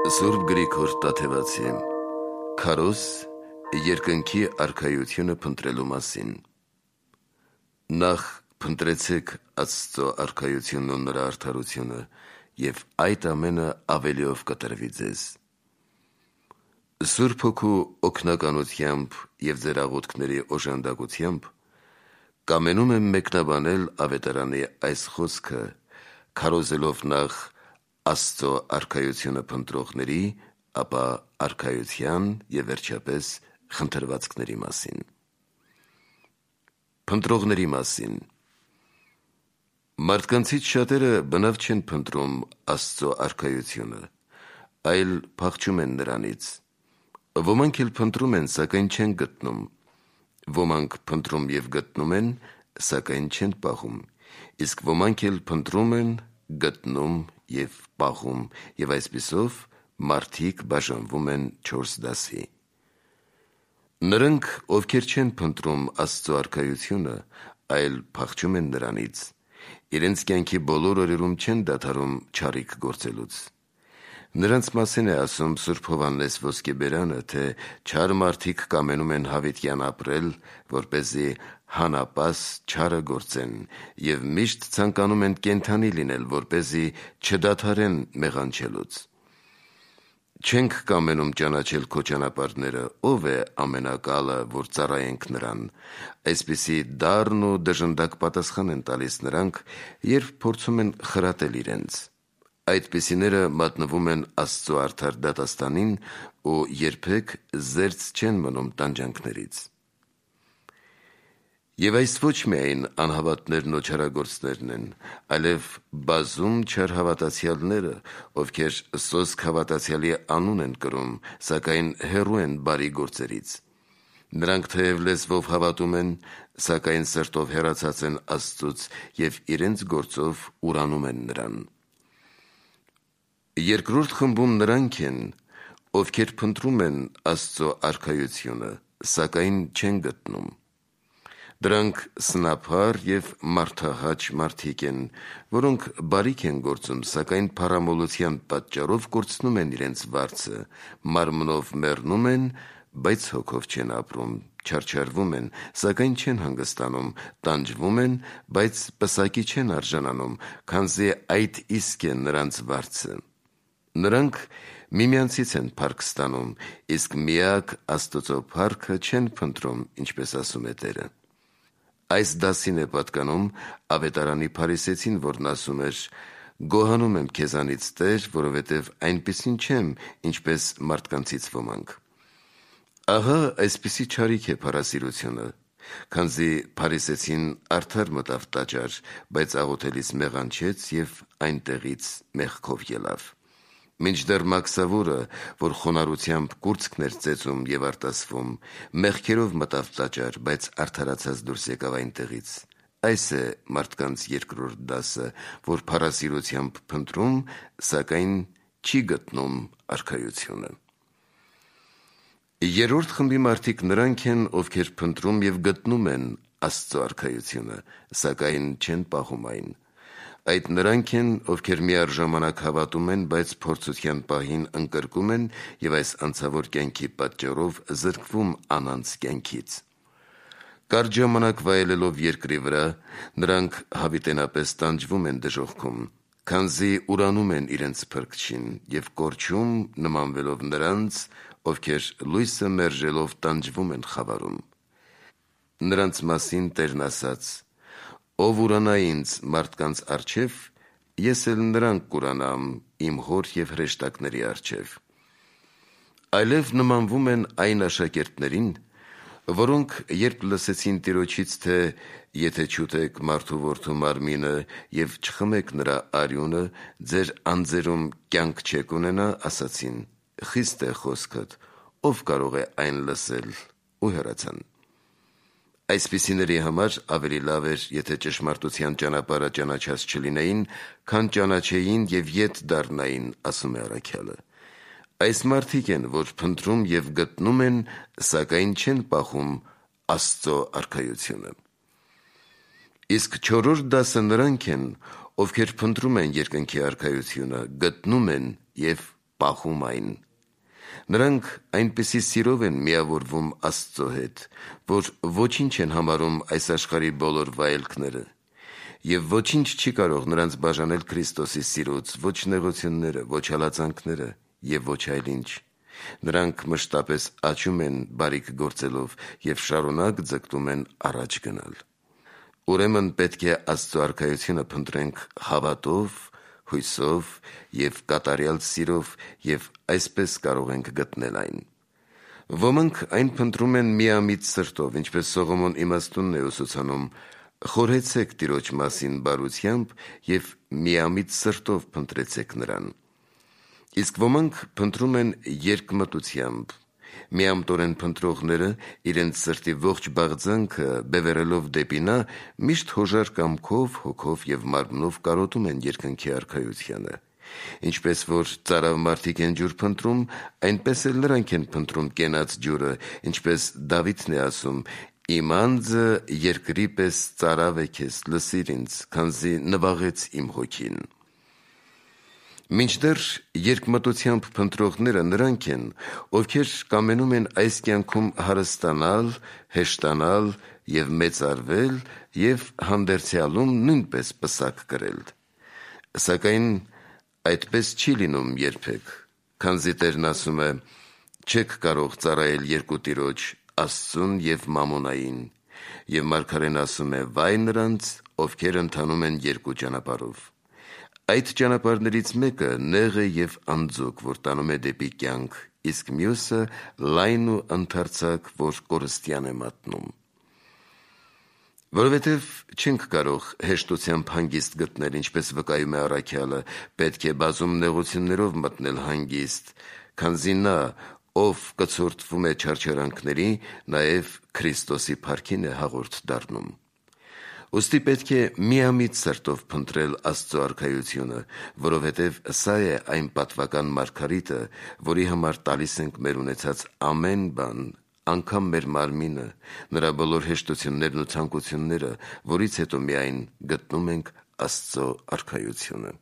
Սուրբ Գրիգոր Տաթևացի Քարոզ երկնքի արքայությունը փնտրելու մասին։ Նախ փնտրեցեք Աստծո արքայությունն ու նրա արդարությունը, եւ այդ ամենը ավելիով կտրվի ձեզ։ Սուրբ Հոգու օգնականությամբ եւ ձեր աղոթքների օժանդակությամբ կամենում եմ մեկնաբանել ավետարանի այս խոսքը, քարոզելով նախ Աստծո արքայությունը փնտրողների, ապա արքայության եւ վերջապես խնդրվածքների մասին։ Փնտրողների մասին։ Մարդկանցից շատերը բնավ չեն փնտրում Աստծո արքայությունը, այլ փախչում են նրանից։ Ոմանք էլ փնտրում են, սակայն չեն գտնում։ Ոմանք փնտրում եւ գտնում են, սակայն չեն պահում։ Իսկ ոմանք էլ փնտրում են, գտնում եւ պահում, եւ այսպիսով մարդիկ բաժանվում են 4 դասի։ Նրանք, ովքեր չեն փնտրում Աստծո արքայությունը, այլ փախչում են նրանից, իրենց կյանքի բոլոր օրերում չեն դադարում չարիք գործելուց։ Նրանց մասին է ասում Սուրբ Հովհաննես Ոսկեբերանը, թե չար մարդիկ կամենում են հավիտյան ապրել, որպեսզի հանապաս չարը գործեն, եւ միշտ ցանկանում են կենդանի լինել, որպեսզի չդադարեն մեղանչելուց։ Չենք կամենում ճանաչել քո ճանապարհները, ով է ամենակալը, որ ծառայենք նրան։ Այսպիսի դառն ու դժնդակ պատասխան են տալիս նրանք, երբ փորձում են խրատել իրենց։ Այդպիսիները մատնվում են Աստծո արդար դատաստանին ու երբեք զերծ չեն մնում տանջանքներից։ Եվ այս ոչ միայն անհավատներն ու չարագործներն են, այլև բազում չար հավատացյալները, ովքեր սոսկ հավատացյալի անուն են կրում, սակայն հեռու են բարի գործերից։ Նրանք թեև լեզվով հավատում են, սակայն սրտով հեռացած են Աստծուց եւ իրենց գործով ուրանում են նրան։ Երկրորդ խմբում նրանք են, ովքեր փնտրում են Աստծո արքայությունը, սակայն չեն գտնում։ Դրանք սնափար եւ մարդահաճ մարդիկ են, որոնք բարիք են գործում, սակայն փառամոլության պատճառով կորցնում են իրենց վարձը, մարմնով մեռնում են, բայց հոգով չեն ապրում, չարչարվում են, սակայն չեն հանգստանում, տանջվում են, բայց պսակի չեն արժանանում, քանզի այդ իսկ է նրանց վարձը։ Նրանք միմյանցից են փառք ստանում, իսկ միակ Աստծո փառքը չեն փնտրում, ինչպես ասում է Տերը։ Այս դասին է պատկանում ավետարանի փարիսեցին, որն ասում էր. «Գոհանում եմ քեզանից, Տեր, որովհետև այնպիսին չեմ, ինչպես մարդկանցից ոմանք»։ Ահա այսպիսի չարիք է փառասիրությունը, քանզի փարիսեցին արդար մտավ տաճար, բայց աղոթելիս մեղանչեց եւ այնտեղից մեղքով ելավ։ Մինչդեռ Մաքսավորը, որ խոնարհությամբ կուրծքն էր ծեծում եւ արտասվում, մեղքերով մտավ տաճար, բայց արդարացած դուրս եկավ այնտեղից։ Այս է մարդկանց երկրորդ դասը, որ փառասիրությամբ փնտրում, սակայն չի գտնում արքայությունը։ Երրորդ խմբի մարդիկ նրանք են, ովքեր փնտրում եւ գտնում են Աստծո արքայությունը, սակայն չեն պահում այն։ Այդ նրանք են, ովքեր միառժամանակ հավատում են, բայց փորձության պահին ընկրկում են եւ այս անցավոր կյանքի պատճառով զրկվում անանց կյանքից։ Կարճ ժամանակ վայելելով երկրի վրա, նրանք հավիտենապես տանջվում են դժոխքում, քանզի ուրանում են իրենց փրկչին եւ կորչում նմանվելով նրանց, ովքեր լույսը մերժելով տանջվում են խավարում։ Նրանց մասին Տերն ասաց. «Ով ուրանա ինձ մարդկանց առջև, ես էլ նրան կուրանամ իմ հոր եւ հրեշտակների առջև»։ Այլև նմանվում են այն աշակերտներին, որոնք երբ լսեցին Տիրոջից, թե եթե չուտեք մարդու որդու մարմինը եւ չխմեք նրա արյունը, ձեր անձերում կյանք չեք ունենա, ասացին. «Խիստ է խոսքդ, ով կարող է այն լսել», ու հեռացան։ Այսպիսիների համար ավելի լավ էր, եթե ճշմարտության ճանապարհը ճանաչած չլինեին, քան ճանաչեին եւ ետ դառնային, ասում է առաքյալը։ Այս մարդիկ են, որ փնտրում եւ գտնում են, սակայն չեն պահում Աստծո արքայությունը։ Իսկ չորրորդ դասը նրանք են, ովքեր փնտրում են երկնքի արքայությունը, գտնում են եւ պահում այն։ Նրանք այնպիսի սիրով են միավորվում Աստծո հետ, որ ոչինչ են համարում այս աշխարհի բոլոր վայելքները, եւ ոչինչ չի կարող նրանց բաժանել Քրիստոսի սիրուց, ոչ նեղությունները, ոչ հալածանքները եւ ոչ այլ ինչ։ Նրանք մշտապես աճում են բարիք գործելով եւ շարունակ ձգտում են առաջ գնալ։ Ուրեմն պետք է Աստծո արքայությունը փնտրենք հավատով, հույսով եւ կատարյալ սիրով եւ այսպես կարող ենք գտնել այն։ Ոմանք այն փնտրում են միամիտ սրտով, ինչպես Սողոմոն իմաստունն է ուսուցանում. «Խորհեցեք Տիրոջ մասին բարությամբ եւ միամիտ սրտով փնտրեցեք նրան»։ Իսկ ոմանք փնտրում են երկմտությամբ։ Միամտորեն փնտրողները իրենց սրտի ողջ բաղձանքը բևեռելով դեպի նա, միշտ հոժար կամքով, հոգով եւ մարմնով կարոտում են երկնքի արքայությանը։ Ինչպես որ ծարավ մարդիկ են ջուր փնտրում, այնպես էլ նրանք են փնտրում կենաց ջուրը, ինչպես Դավիթն է ասում. «Իմ անձը երկրի պես ծարավ է քեզ, լսիր ինձ, քանզի նվաղեց իմ հոգին»։ Մինչդեռ երկմտությամբ փնտրողները նրանք են, ովքեր կամենում են այս կյանքում հարստանալ, հեշտանալ եւ մեծարվել եւ հանդերձյալում նույնպես պսակ կրել։ Սակայն այդպես չի լինում երբեք, քանզի Տերն ասում է. «Չեք կարող ծառայել երկու Տիրոջ, Աստծուն եւ Մամոնային», եւ Մարգարեն ասում է. «Վայ նրանց, ովքեր ընթանում են երկու ճանապարհով»։ Այդ ճանապարհներից մեկը նեղ է եւ անձոկ, որ տանում է դեպի կյանք, իսկ մյուսը լայն ու ընդարձակ, որ կորստյան է մատնում։ Որովհետև չենք կարող հեշտությամբ հանգիստ գտնել, ինչպես վկայում է առաքյալը, պետք է բազում նեղություններով մտնել հանգիստ, քանզի նա, ով կցորդվում է չարչարանքների, նաև Քրիստոսի փառքին է հաղորդ դառնում։ Ուստի պետք է միամիտ սրտով փնտրել Աստծո արքայությունը, որովհետև սա է այն պատվական մարգարիտը, որի համար տալիս ենք մեր ունեցած ամեն բան, անգամ մեր մարմինը, նրա բոլոր հեշտություններն ու ցանկությունները, որից հետո միայն գտնում ենք Աստծո արքայությունը։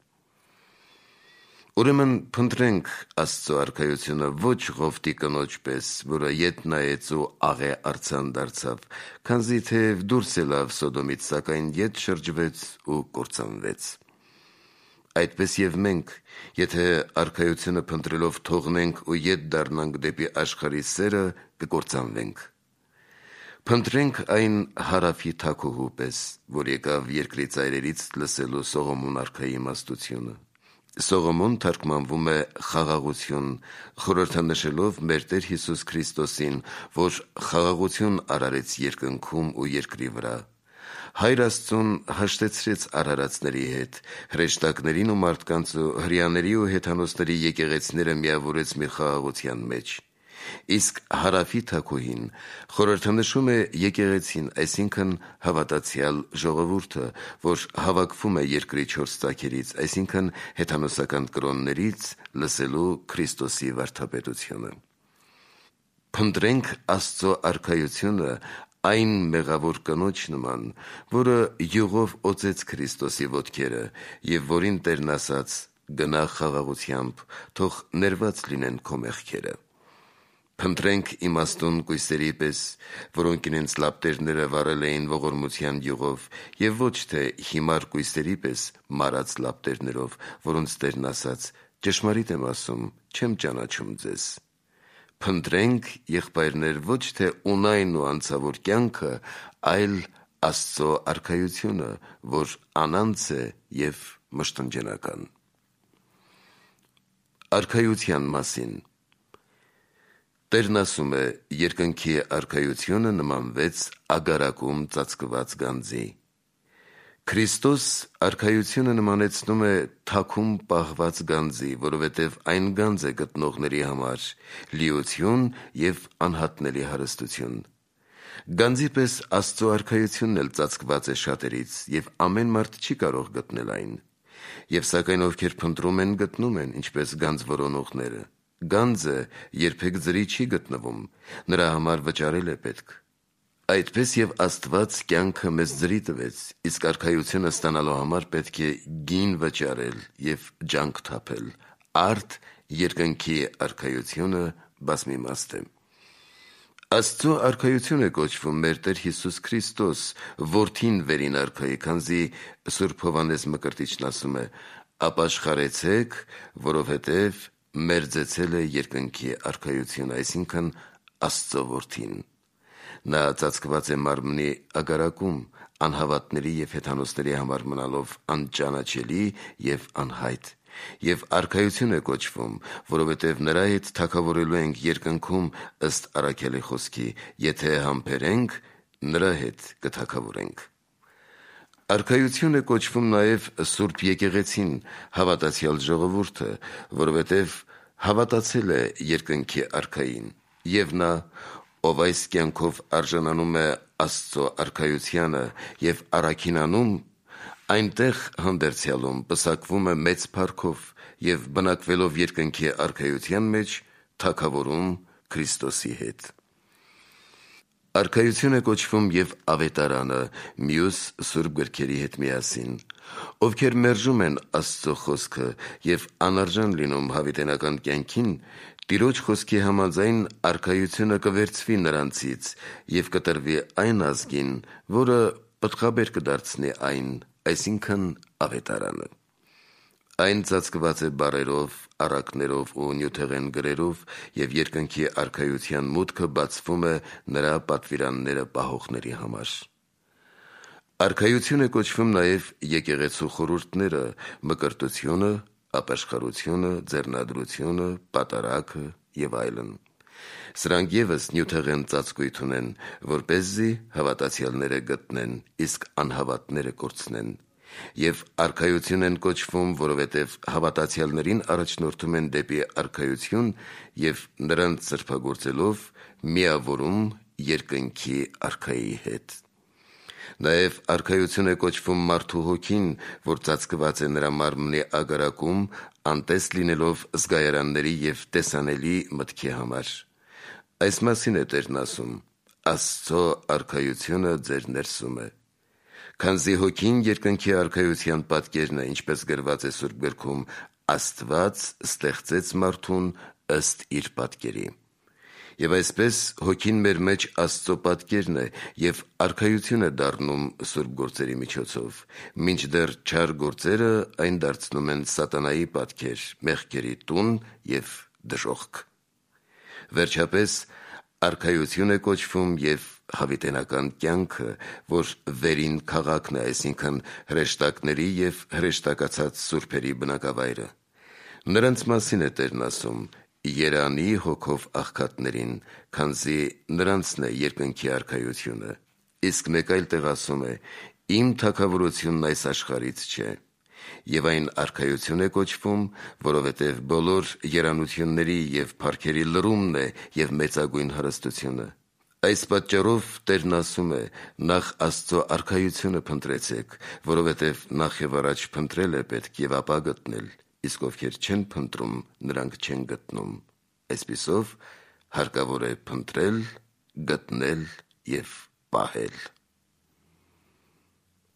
Ուրեմն փնտրենք Աստծո արքայությունը ոչ Ղովտի կնոջ պես, որը ետ նայեց ու աղե արձան դարձավ, քանզի թեև դուրս ելավ Սոդոմից, սակայն ետ շրջվեց ու կործանվեց։ Այդպես եւ մենք, եթե արքայությունը փնտրելով թողնենք ու ետ դառնանք դեպի աշխարհի սերը, կկործանվենք։ Փնտրենք այն հարավի թագուհու պես, որ եկավ երկրի ծայրերից լսելու Սողոմոն արքայի իմաստությունը։ Սողոմոն թարգմանվում է խաղաղություն, խորհրդանշելով մեր Տեր Հիսուս Քրիստոսին, որ խաղաղություն արարեց երկնքում ու երկրի վրա։ Հայր Աստծուն հաշտեցրեց արարածների հետ, հրեշտակներին ու մարդկանց ու հրեաների ու հեթանոսների եկեղեցիները միավորեց մի խաղաղության մեջ։ Իսկ հարավի թագուհին խորհրդանշում է եկեղեցին, այսինքն հավատացյալ ժողովուրդը, որ հավաքվում է երկրի 4 ծագերից, այսինքն հեթանոսական կրոններից, լսելու Քրիստոսի վարդապետությունը։ Փնտրենք Աստծո արքայությունը այն մեղավոր կնոջ նման, որը յուղով օծեց Քրիստոսի ոտքերը եւ որին Տերն ասաց. «Գնա խաղաղությամբ, թող ներված լինեն քո մեղքերը»։ Փնտրենք իմաստուն կույսերի պես, որոնք իրենց լապտերները վառել էին ողորմության յուղով, եւ ոչ թե հիմար կույսերի պես մարած լապտերներով, որոնց Տերն ասաց. «Ճշմարիտ եմ ասում, չեմ ճանաչում ձեզ»։ Փնտրենք, եղբայրներ, ոչ թե ունայն ու անցավոր կյանքը, այլ Աստծո արքայությունը, որ անանց է եւ մշտնջենական։ Արքայության մասին Տերն ասում է. «Երկնքի արքայությունը նմանվեց ագարակում ծածկված գանձի»։ Քրիստոս արքայությունը նմանեցնում է թաքում պահված գանձի, որովհետև այն գանձ է գտնողների համար լիություն եւ անհատնելի հարստություն։ Գանձի պես Աստծո արքայությունն էլ ծածկված է շատերից, եւ ամեն մարդ չի կարող գտնել այն։ Եվ սակայն ովքեր փնտրում են, գտնում են, ինչպես գանձ որոնողները։ Գանձը երբեք ձրի չի գտնվում, նրա համար վճարել է պետք։ Այդպես եւ Աստված կյանքը մեզ ձրի տվեց, իսկ արքայությունը ստանալու համար պետք է գին վճարել եւ ջանք թափել, արդ երկնքի արքայությունը բազմիմաստ է։ Աստծո արքայություն է կոչվում մեր Տեր Հիսուս Քրիստոս, որդին վերին արքայի, քանզի Սուրբ Հովհաննես Մկրտիչն ասում է. «Ապաշխարեցեք, որովհետև մերձեցել է երկնքի արքայությունը», այսինքն Աստծո որդին։ Նա ծածկված է մարմնի ագարակում, անհավատների և հեթանոսների համար մնալով անճանաչելի և անհայտ, և արքայություն է կոչվում, որովհետև նրա հետ թագավորելու ենք երկնքում ըստ առաքյալի խոսքի. «Եթե համբերենք, նրա հետ կթագավորենք»։ Արքայություն է կոչվում նաև Սուրբ Եկեղեցին, հավատացյալ ժողովուրդը, որովհետև հավատացել է երկնքի արքային, և նա, ով այս կյանքով արժանանում է Աստծո արքայությանը և առաքինանում, այնտեղ հանդերձյալում պսակվում է մեծ փառքով և բնակվելով երկնքի արքայության մեջ թագավորում Քրիստոսի հետ։ Արքայություն է կոչվում և ավետարանը մյուս սուրբ գրքերի հետ միասին, ովքեր մերժում են Աստծո խոսքը և անարժան լինում հավիտենական կյանքին, Տիրոջ խոսքի համաձայն արքայությունը կվերցվի նրանցից և կտրվի այն ազգին, որը պտղաբեր կդարձնի այն, այսինքն ավետարանը։ Այն ծածկված է բառերով, առակներով ու նյութեղեն գրերով, և երկնքի արքայության մուտքը բացվում է նրա պատվիրանները պահողների համար։ Արքայություն է կոչվում նաև եկեղեցու խորհուրդները՝ մկրտությունը, ապաշխարությունը, ձեռնադրությունը, պատարագը և այլն։ Սրանք ևս նյութեղեն ծածկույթ ունեն, որպեսզի հավատացյալները գտնեն, իսկ անհավատները կորցնեն, և արքայություն են կոչվում, որովհետև հավատացյալներին առաջնորդում են դեպի արքայություն և նրանց սրբագործելով միավորում երկնքի արքայի հետ։ Նաև արքայություն է կոչվում մարդու հոգին, որ ծածկված է նրա մարմնի ագարակում, անտես լինելով զգայարանների և տեսանելի մտքի համար։ Այս մասին է Տերն ասում. «Աստծո արքայությունը ձեր ներսում է»։ Քանզի հոգին երկնքի արքայության պատկերն է, ինչպես գրված է Սուրբ գրքում. «Աստված ստեղծեց մարդուն ըստ իր պատկերի»։ Եվ այսպես հոգին մեր մեջ Աստծո պատկերն է և արքայություն է դառնում սուրբ գործերի միջոցով, մինչդեռ չար գործերը այն դարձնում են սատանայի պատկեր, մեղքերի տուն և դժոխք։ Վերջապես, արքայություն է կոչվում և հավիտենական կյանքը, որ վերին քաղաքն է, այսինքն հրեշտակների և հրեշտակացած սուրբերի բնակավայրը։ Նրանց մասին է Տերն ասում. «Երանի հոգով աղքատներին, քանզի նրանցն է երկնքի արքայությունը»։ Իսկ մեկ այլ տեղ ասում է. «Իմ թագավորությունն այս աշխարհից չէ»։ Եվ այն արքայություն է կոչվում, որովհետև բոլոր երանությունների և փառքերի լրումն է և մեծագույն հարստությունը։ Այս պատճառով Տերն ասում է. «Նախ Աստծո արքայությունը փնտրեցեք, որովհետև նախ և առաջ փնտրել է պետք և ապա գտնել, իսկ ովքեր չեն փնտրում, նրանք չեն գտնում»։ Այսպիսով հարկավոր է փնտրել, գտնել և պահել։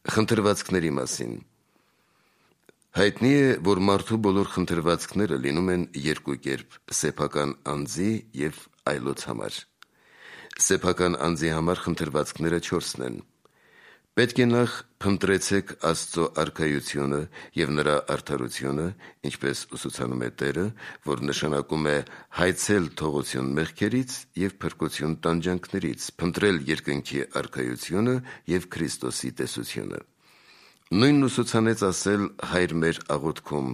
Խնդրվածքների մասին։ Հայտնի է, որ մարդու բոլոր խնդրվածքները լինում են երկու կերպ՝ սեփական անձի և այլոց համար։ Սեփական անձի համար խնդրվածքները 4-ն են. պետք է նախ փնտրեցեք Աստծո արքայությունը և նրա արդարությունը, ինչպես ուսուցանում է Տերը, որ նշանակում է հայցել թողություն մեղքերից և փրկություն տանջանքներից, փնտրել երկնքի արքայությունը և Քրիստոսի տեսությունը։ Նույնն ուսուցանեց ասել Հայր մեր աղոթքում.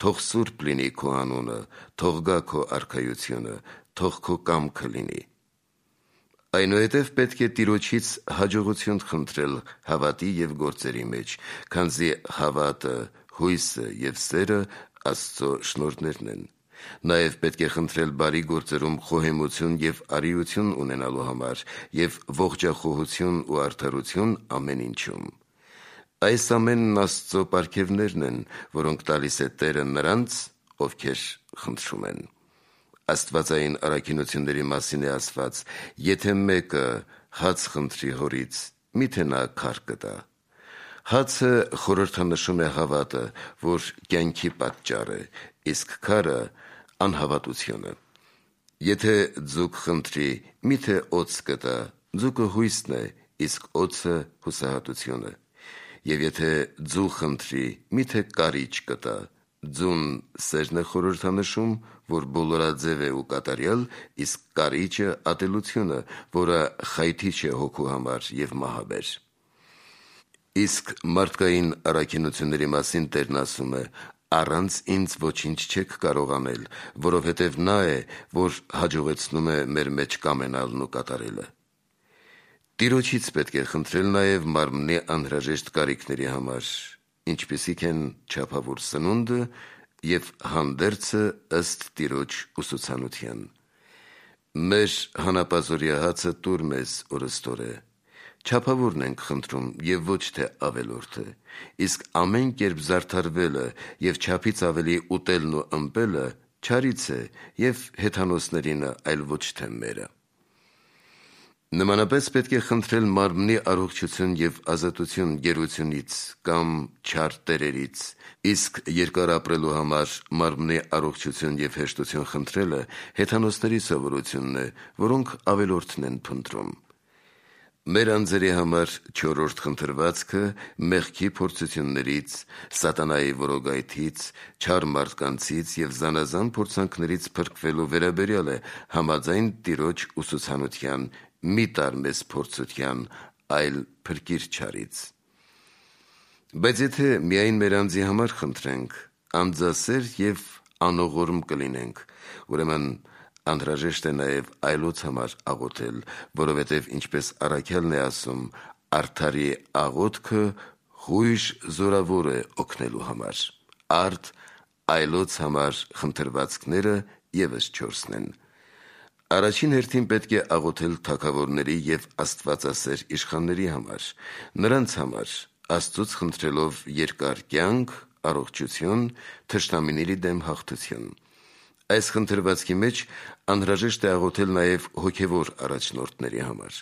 «Թող սուրբ լինի քո անունը, թող գա քո արքայությունը, թող քո կամքը լինի»։ Այնուհետև պետք է Տիրոջից հաջողություն խնդրել հավատի և գործերի մեջ, քանզի հավատը, հույսը և սերը Աստծո շնորհներն են։ Նաև պետք է խնդրել բարի գործերում խոհեմություն և արիություն ունենալու համար և ողջախոհություն ու արդարություն ամեն ինչում։ Այս ամենն Աստծո պարգևներն են, որոնք տալիս է Տերը նրանց, ովքեր խնդրում են։ Աստվածային առաքինությունների մասին է ասված. «Եթե մեկը հաց խնդրի հորից, մի՞թե նա քար կտա»։ Հացը խորհրդանշում է հավատը, որ կյանքի պատճառ է, իսկ քարը անհավատությունը։ Եթե ձուկ խնդրի, միթե օձ կտա, ձուկը հույսն է, իսկ օձը հուսահատությունը։ Եվ եթե ձու խնդրի, միթե կարիճ կտա, ձուն սերն է խորհրդանշում, որ բոլորաձև է ու կատարյալ, իսկ կարիճը ատելությունը, որը խայթիչ է հոգու համար և մահաբեր։ Իսկ մարդկային առաքինությունների մասին Տերն ասում է. «Առանց ինձ ոչինչ չեք կարող անել, որովհետև նա է, որ հաջողեցնում է մեր մեջ կամենալն ու կատարելը»։ Տիրոջից պետք է խնդրել նաև մարմնի անհրաժեշտ կարիքների համար, ինչպիսիք են չափավոր սնունդը և հանդերձը ըստ Տիրոջ ուսուցանության։ Մեր հանապազօրյա հացը տուր մեզ օրըստօրե։ Չափավորն ենք խնդրում և ոչ թե ավելորդը, իսկ ամեն կերպ զարդարվելը և չափից ավելի ուտելն ու ըմպելը չարից է և հեթանոսներինը, այլ ոչ թե մերը։ Նմանապես պետք է խնդրել մարմնի առողջություն և ազատություն գերությունից կամ չար տերերից, իսկ երկար ապրելու համար մարմնի առողջություն և հեշտություն խնդրելը հեթանոսների սովորությունն է, որոնք ավելորդն են փնտրում։ Մեր անձերի համար չորրորդ խնդրվածքը մեղքի փորձություններից, սատանայի որոգայթից, չար մարդկանցից և զանազան փորձանքներից փրկվելու վերաբերյալ է համաձայն Տիրոջ ուսուցանության՝ մի տար մեզ փորձության, այլ փրկիր չարից։ Բայց եթե միայն մեր անձի համար խնդրենք, անձասեր և անողորմ կլինենք, ուրեմն անհրաժեշտ է նաև այլոց համար աղոթել, որովհետև ինչպես առաքյալն է ասում. «Արդարի աղոթքը հույժ զորավոր է օգնելու համար»։ Արդ այլոց համար խնդրվածքները ևս 4-ն են։ Առաջին հերթին պետք է աղոթել թագավորների և աստվածասեր իշխանների համար, նրանց համար, Աստծուց խնդրելով երկար կյանք, առողջություն, թշնամիների դեմ հաղթություն։ Այս խնդրվածքի մեջ անհրաժեշտ է աղոթել նաև հոգևոր առաջնորդների համար։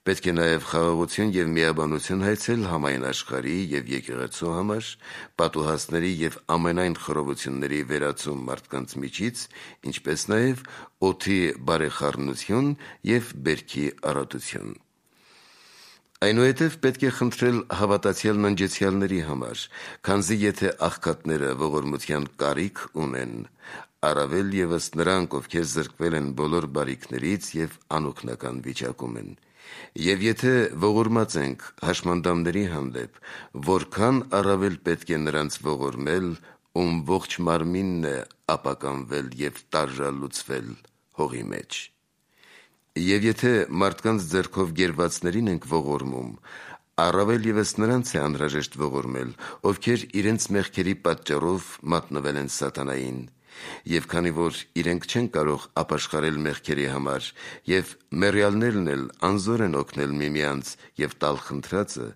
Պետք է նաև խաղաղություն և միաբանություն հայցել համայն աշխարհի և եկեղեցու համար, պատուհասների և ամենայն խռովությունների վերացում մարդկանց միջից, ինչպես նաև օդի բարեխառնություն և բերքի առատություն։ Այնուհետև պետք է խնդրել հավատացյալ ննջեցյալների համար, քանզի եթե աղքատները ողորմության կարիք ունեն, առավել ևս նրանք, ովքեր զրկվել են բոլոր բարիքներից և անօգնական վիճակում են։ Եվ եթե ողորմած ենք հաշմանդամների հանդեպ, որքան առավել պետք է նրանց ողորմել, ում ողջ մարմինն է ապականվել և տարժալուծվել հողի մեջ։ Եվ եթե մարդկանց ձեռքով գերվածներին ենք ողորմում, առավել ևս նրանց է անհրաժեշտ ողորմել, ովքեր իրենց մեղքերի պատճառով մատնվել են սատանային։ Եվ քանի որ իրենք չեն կարող ապաշխարել մեղքերի համար, և մեռյալներն էլ անզոր են օգնել միմյանց և տալ խնդրածը,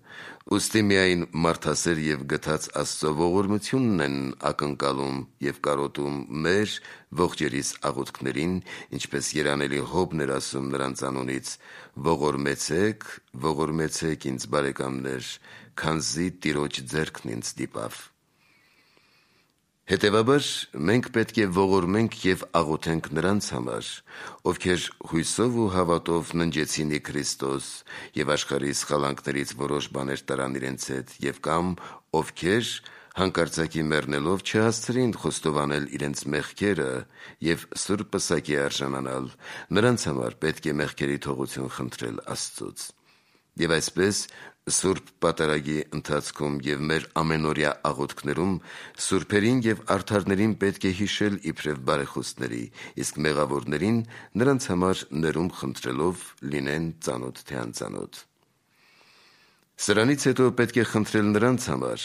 ուստի միայն մարդասեր և գթած Աստծո ողորմությունն են ակնկալում և կարոտում մեր ողջերիս աղոթքներին, ինչպես երանելի Հոբն էր ասում նրանց անունից. «Ողորմեցեք, ողորմեցեք ինձ, բարեկամներ, քանզի Տիրոջ ձեռքն ինձ դիպավ»։ Հետևաբար մենք պետք է ողորմենք և աղոթենք նրանց համար, ովքեր հույսով ու հավատով ննջեցին ի Քրիստոս և աշխարհի սխալանքներից որոշ բաներ տարան իրենց հետ, և կամ ովքեր հանկարծակի մեռնելով չհասցրին խոստովանել իրենց մեղքերը և սուրբ պսակի արժանանալ, նրանց համար պետք է մեղքերի թողություն խնդրել Աստծուց։ Եվ այսպես սուրբ պատարագի ընթացքում և մեր ամենօրյա աղոթքներում սուրբերին և արդարներին պետք է հիշել իբրև բարեխոսների, իսկ մեղավորներին նրանց համար ներում խնդրելով լինեն ծանոթ թե անծանոթ։ Սրանից հետո պետք է խնդրել նրանց համար,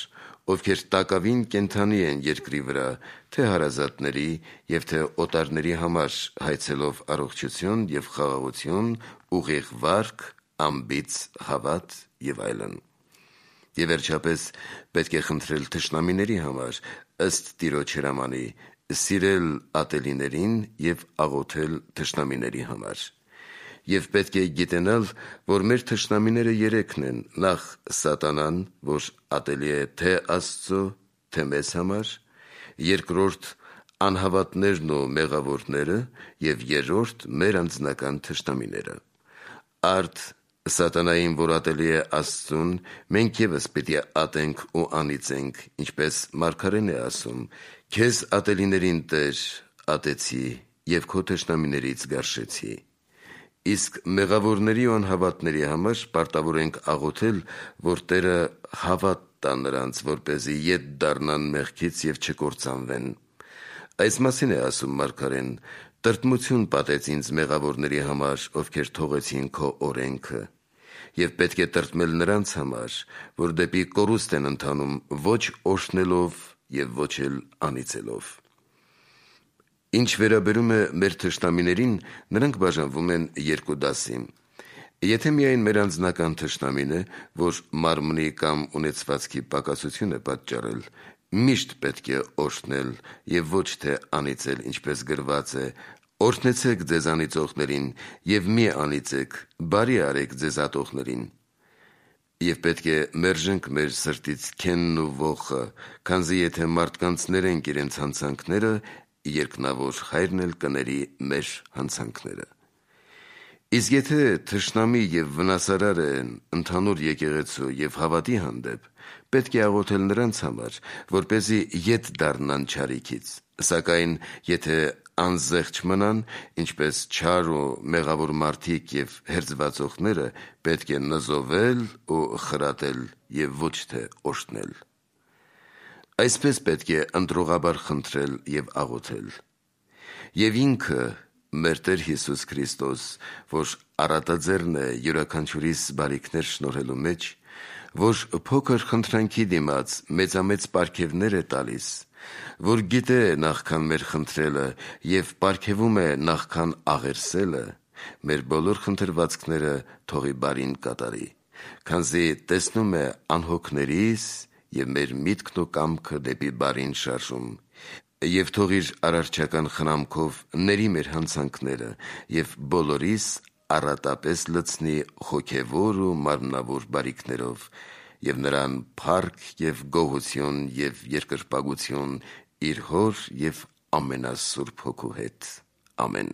ովքեր տակավին կենդանի են երկրի վրա, թե հարազատների և թե օտարների համար հայցելով առողջություն և խաղաղություն, ուղիղ վարք, անբիծ հավատ և այլն։ Եվ վերջապես պետք է խնդրել թշնամիների համար, ըստ Տիրոջ հրամանի, սիրել ատելիներին և աղոթել թշնամիների համար։ Եվ պետք է գիտենալ, որ մեր թշնամիները երեքն են. նախ սատանան, որ ատելի է թե Աստծո, թե մեզ համար, երկրորդ անհավատներն ու մեղավորները և երրորդ մեր անձնական թշնամիները։ Արդ սատանային, որ ատելի է Աստծուն, մենք ևս պիտի ատենք ու անիծենք, ինչպես մարգարեն է ասում. «Քեզ ատելիներին Տեր ատեցի և քո թշնամիներից գարշեցի»։ Իսկ մեղավորների ու անհավատների համար պարտավոր ենք աղոթել, որ Տերը հավատ տա նրանց, որպեսզի ետ դառնան մեղքից և չկործանվեն։ Այս մասին է ասում մարգարեն. «Տրտմություն պատեց ինձ մեղավորների համար, ովքեր թողեցին քո օրենքը, և պետք է տրտմել նրանց համար, որ դեպի կորուստ են ընթանում ոչ օրհնելով և ոչ էլ անիծելով»։ Ինչ վերաբերում է մեր թշնամիներին, նրանք բաժանվում են երկու դասի։ Եթե միայն մեր անձնական թշնամին է, որ մարմնի կամ ունեցվածքի պակասություն է պատճառել, միշտ պետք է օրհնել և ոչ թե անիծել, ինչպես գրված է. «Օրհնեցեք ձեզ անիծողներին և մի անիծեք, բարի արեք ձեզ ատողներին»։ Եվ պետք է մերժենք մեր սրտից քենն ու ոխը, քանզի եթե մարդկանց ներենք իրենց հանցանքները, երկնավոր Հայրն էլ կների մեր հանցանքները։ Իսկ եթե թշնամի և վնասարար են ընդհանուր եկեղեցու և հավատի հանդեպ, պետք է աղոթել նրանց համար, որպեսզի ետ դառնան չարիքից, սակայն եթե անզեղչ մնան, ինչպես չար ու մեղավոր մարդիկ և հերձվածողները, պետք է նզովել ու խրատել և ոչ թե օրհնել։ Այսպես պետք է ընտրողաբար խնդրել և աղոթել։ Եվ ինքը, մեր Տեր Հիսուս Քրիստոս, որ առատաձեռն է յուրաքանչյուրիս բարիքներ շնորհելու մեջ, որ փոքր խնդրանքի դիմաց մեծամեծ պարգևներ է տալիս, որ գիտե նախքան մեր խնդրելը և պարգևում է նախքան աղերսելը, մեր բոլոր խնդրվածքները թողի բարին կատարի, քանզի տեսնում է անհոգներիս և մեր միտքն ու կամքը դեպի բարին շարժում, և թող իր արարչական խնամքով ների մեր հանցանքները և բոլորիս առատապես լցնի հոգևոր ու մարմնավոր բարիքներով, և նրան փառք և գոհություն և երկրպագություն իր Հոր և ամենասուրբ Հոգու հետ։ Ամեն։